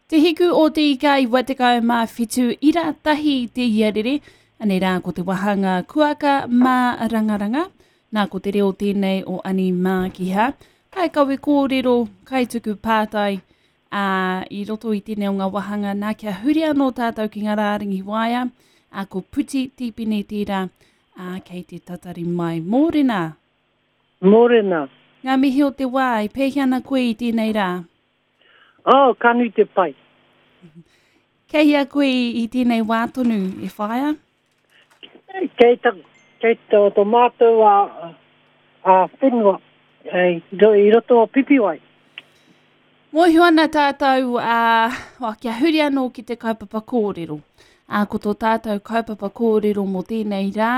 Te Hiku o Te Ika 97 ira tahi te iarere, anei rā ko te wahanga kuaka mā rangaranga, nā ko te reo tēnei o Ani Mākiha, kai kawe kōrero, kai tuku pātai, ā, i roto i tēnei o ngā wahanga nā kia huri anō tātou ki ngā rārangi waea, ā, ko Puti Tīpene tērā, ā, kei te tatari mai. Mōrena! Mōrena! Ngā mihi o te wā, e pēhea ana koe i tēnei rā? Oh, ka nui te pai. Kei hea koe i tēnei wā tonu, e whaea? Kei, ta, kei to, to mātou a, a whenua, i, i roto o Pipiwai. Mōhio ana tātou, ā, uh, kia huri anō ki te kaupapa kōrero. Ā, ko tō tātou kaupapa kōrero mō tēnei rā,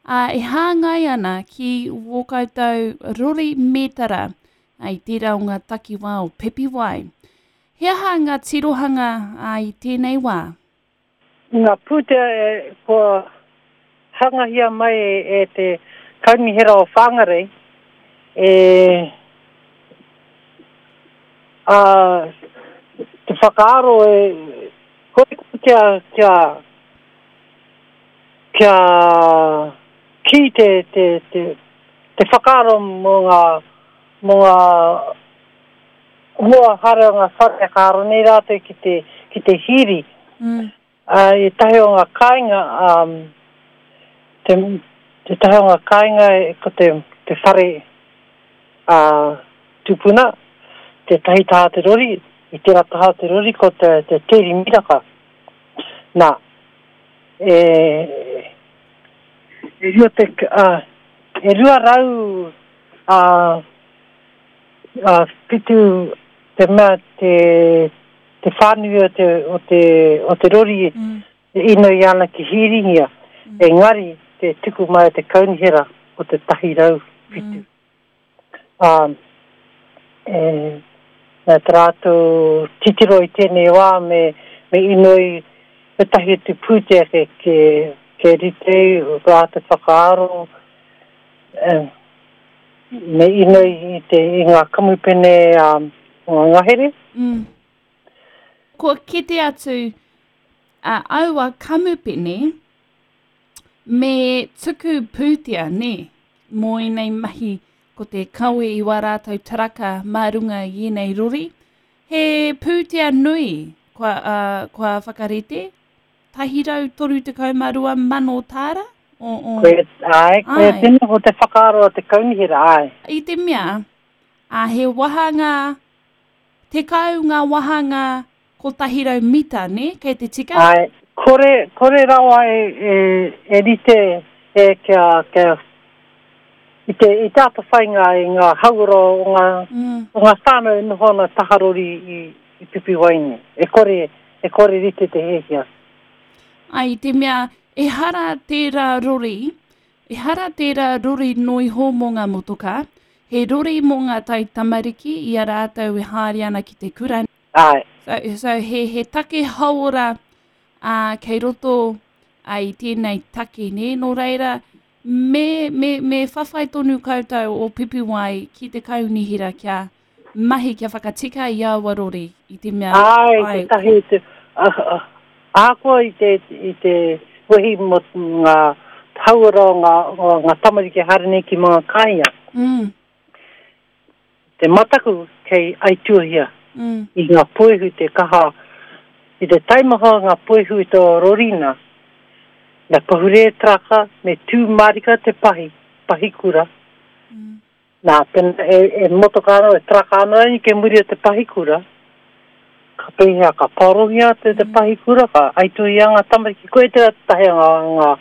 ā, e hāngai ana ki wō koutou rori mētara i tērā o ngā takiwā o Pipiwai. He aha ngā tirohanga ā, i tēnei wā? Ngā pūtea e, kua hangahia mai e, e te Kaunihera o Whangarei, e, ā, te whakaaro e, kore kia, kia, Kia kī te, te, te, te whakaaro mō ngā, mō ngā mua haere o ngā whare ka aro nei rātou ki te, ki te hīri. Mm. Uh, i tahi o ngā kāinga, um, te, te tahi o ngā kāinga ko te, te whare uh, tupuna, te tahi taha te rori, i tērā taha te rori ko te, te tēri miraka. Nā, e, e rua te, uh, e 200 a, a whitu te mea te, te whānui o te, o te, o te rori mm. e inoi ana ki Hīringia, mm. engari te tuku mai o te kaunihera o te tahi rau whitu. Mm. Ā, e, nā te rātou titiro i tēnei wā me, me inoi ētahi atu pūtea ke, ke, ke rite rātou whakaaro, e, me inoi i, te, i ngā kamupene um, o ngā ngahere. Mm. Kua kite atu a aua kamupene Me tuku pūtea, nē, mō ēnei mahi ko te kawe i wā rātou taraka mā runga i ēnei rori. He pūtea nui kua, uh, kua whakarite, 132 tāra. O, o, koe, ai, koe tēnā ko te whakaaro a te kaunihera, ai. I te mea, a he wahanga, tekau ngā wahanga 100 mita, nē? Kei te tika? Āe, kore, kore rawa e, e, e rite e kia, kia, i te, i te atawhai ngā, i ngā hauora o ngā, mm. o ngā whānau e noho ana taharori i, i Pipiwaine. E kore, e kore rite te hiahia. Ai, i te mea, ehara tērā rori, ehara tērā rori noiho mō ngā motokā, he rori mō ngā taitamariki i a rātou e haere ana ki te kura. Āe. So, so he, he take hauora uh, kei roto uh, i tēnei take, nē? Nō reira, me, me, me whawhai tonu koutou o Pipiwai ki te kaunihera kia mahi, kia whakatika i aua rori, i te mea... Āe, ai, te tahi, te, uh, ahakoa i te, i te wehi mō ngā hauora o ngā, o ngā tamariki haere nei ki mga kāinga. Mm. Te mataku kei aituahia i ngā puehu te kaha, i te taimaha o ngā puehu i tō rori nā, me pahure taraka, me tū mārika te pahi, pahi kura, nā, pena e, e motoka ana, e taraka ana rānei kei muri o te pahi kura, ka pēhea, ka paorongia te, te pahi kura, ka aituahia ngā tamariki, koia tērā tētahi o ngā, ngā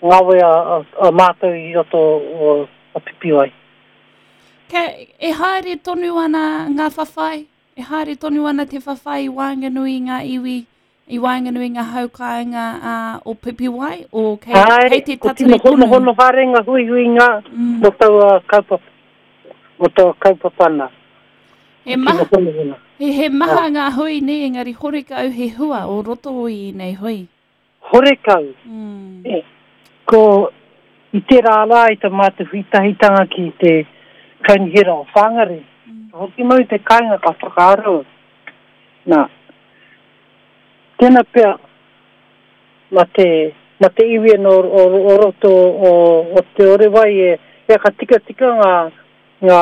ngawe a, a, a mātou i roto o, o Pipiwai. Kei, e haere tonu ana ngā whawhai, e haere tonu ana te whawhai i waenganui i ngā iwi, i waenganui i ngā hau kāinga a, o Pipiwai, o kei, Āe, kei te ko tino tatari tonu. honohono haere ngā huihuinga Mm. mō taua kaupapa, mō taua kaupapa nā. He Ko maha, tino honohono. he, he maha ngā hui nē, engari horekau he hua o roto i ēnei hui. Horekau. Mm. Ko i tērā rā i ta mātou huitahitanga ki te Kaunihera o Whangarei, mm. ka hoki mau i te kāinga ka whakaaro. Nā, Tēnā pea, ma te, ma te iwi anō o, o roto o, o Te Orewai e, e ka tikatika ngā, ngā,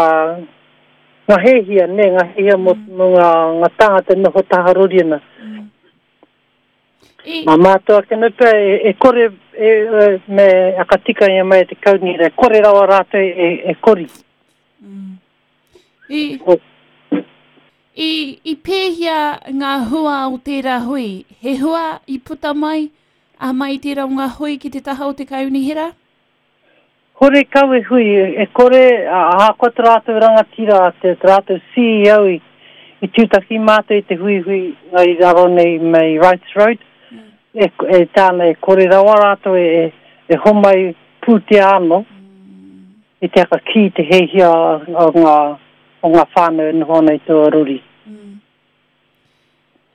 ngā hēhia, nē, ngā hēhia mō, mm. mō ngā, ngā tāngata noho taha rori ana. Mm. I... Mā mātou ake nei pea e, e kore e, e, me aka tika ia mai e te kaunihera, e kore rawa rātou e, e kori. Mm. I, i, i pēhea ngā hua o tērā hui? He hua i puta mai a mai tērā o ngā hui ki te taha o te kaunihera? Horekau e hui, e kore, ahakoa te rātou rangatira, te rātou CEO i, i tūtaki mātou i te huihui i raro nei mei Wrights Road, mm. e, e tāna e kore rawa rātou e, e, e homai pūtea anō, mm. i te aka ki te hehia o ngā, o ngā whānau e noho ana i taua rori. Mm.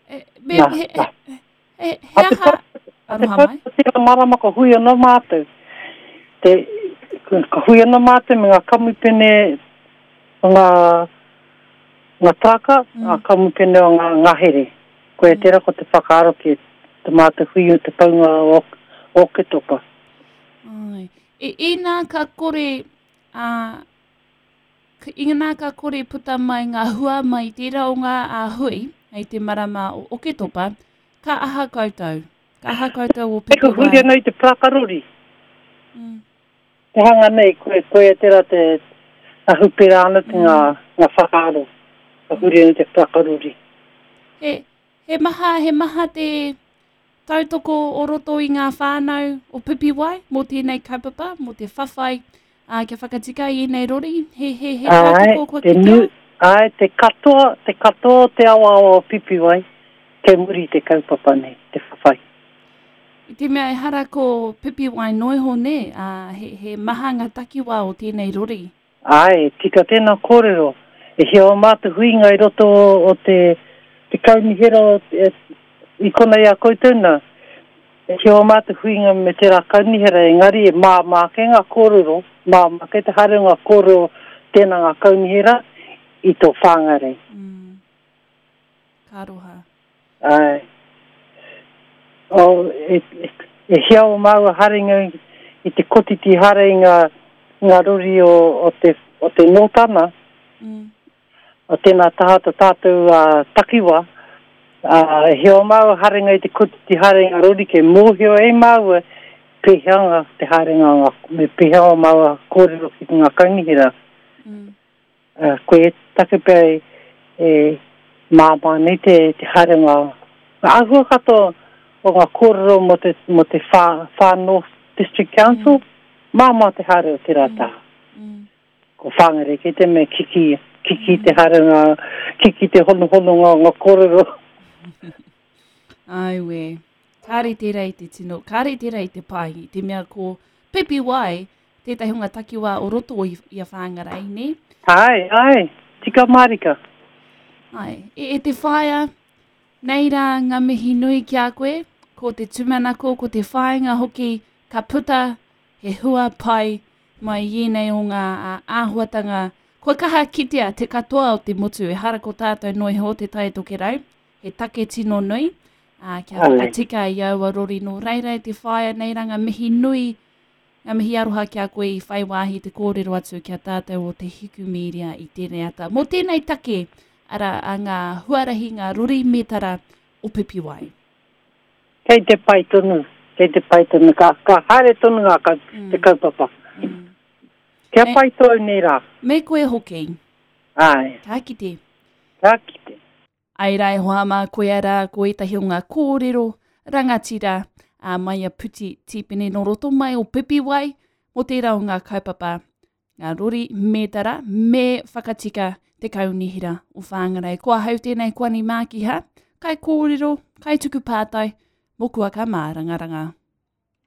E, me, nā, he, nā. He, he aha, aroha mai? A te tera marama ka hui anō mātou. Te, ka hui anō mātou me ngā kamupene o ngā, ngā taraka, mm. ngā kamupene o ngā ngahere. Koia mm. tera ko te whakaaro ki te mātou hui o te paunga o, o Oketopa. Ai. E, inā ka kore, a, Inā ka kore puta mai ngā hua mai tērā o ngā hui hei te marama o Oketopa, ka aha koutou? Ka aha koutou o Pipiwai? Ka huri anō i te parakarori. Mm. Te hanga nei, koe, koia tērā te ahu pērā ana te ngā, mm. ngā whakaaro. Ka huri anō te parakarori. He, he maha, he maha te Tautoko o roto i ngā whānau o Pipiwai mō tēnei kaupapa, mō te whawhai, ā, kia whakatika i ēnei rori, he, he, he tautoko kua kitea? Āe, te katoa, te katoa o te awaawa o Pipiwai, kei muri i te kaupapa nei, te whawhai. I te mea ehara ko Pipiwai noiho nē, ā, he, he maha ngā takiwā o tēnei rori. Āe, tika tēnā kōrero. E hia o mātou huinga i roto o te, te kaunihera o, e, i konei a koutou nā. E hia o mātou huinga me tērā kaunihera, engari e māmā ake ngā kōrero, māmā ake te haere o ngā kōrero tēnā ngā kaunihera i tō Whāngarei. Mm. Ka aroha. Āe. Oh, e, e, e hia o māua haerenga i te kotiti haere i ngā, ngā rori o, o te, o te Nōtana, mm. o tēnā taha to tātou uh, takiwa, uh, e hia o māua haerenga i te kotiti haere i ngā rori kei mōhio e māua pēhea ngā te haerenga ngā, me pēhea o māua kōrero ki ngā kaunihera. Mm. Koia te take pea e māmā nei te haerenga, ngā āhua katoa o ngā kōrero mō te, mō te Far, Far North District Council, mm. māmā te haere o tērā mm. taha. Mm. Ko Whāngarei kei te mea kiki, kiki te haerenga, kiki te honohononga o ngā kōrero. Auē. Kāre tērā i te tino, kāre tērā i te pai, i te mea ko Pipiwai tētahi o ngā takiwā o roto i, i a Whāngarei, nē? Āe, āe, tika mārika. Āe, e, e te whaea, nei rā ngā mihi nui ki a koe, ko te tūmanako, ko te whāinga hoki, ka puta he hua pai mai i ēnei o ngā āhuatanga kua kaha kitea te katoa o te motu, ehara ko tātou noa iho o Te Tai Tokerau, he take tino nui, ā, kia whakatika i aua rori nō reira e te whaea nei rā ngā mihi nui, ngā mihi aroha ki a koe i whai wāhi te kōrero atu ki a tātou o Te Hiku Media i tēnei ata. Mō tēnei take, arā, a ngā huarahi, ngā rori mētara o Pipiwai. Kei te pai tonu, kei te pai tonu, ka, ka haere tonu ngā kau, mm. te kaupapa. Mm. Kia pai tōu nei rā. Me koe hoki. Āe. Ka kite. Ka kite. Ai rā e hoa mā, koia rā ko ētahi o ngā kōrero rangatira a mai a Puti Tīpene nō roto mai o Pipiwai mō tērā o ngā kaupapa, ngā rori mētara me whakatika te kaunihera o Whāngarei. Ko ahau tēnei ko Ani Mākiha, kai kōrero, kai tuku pātai, mō Kuaka Mārangaranga.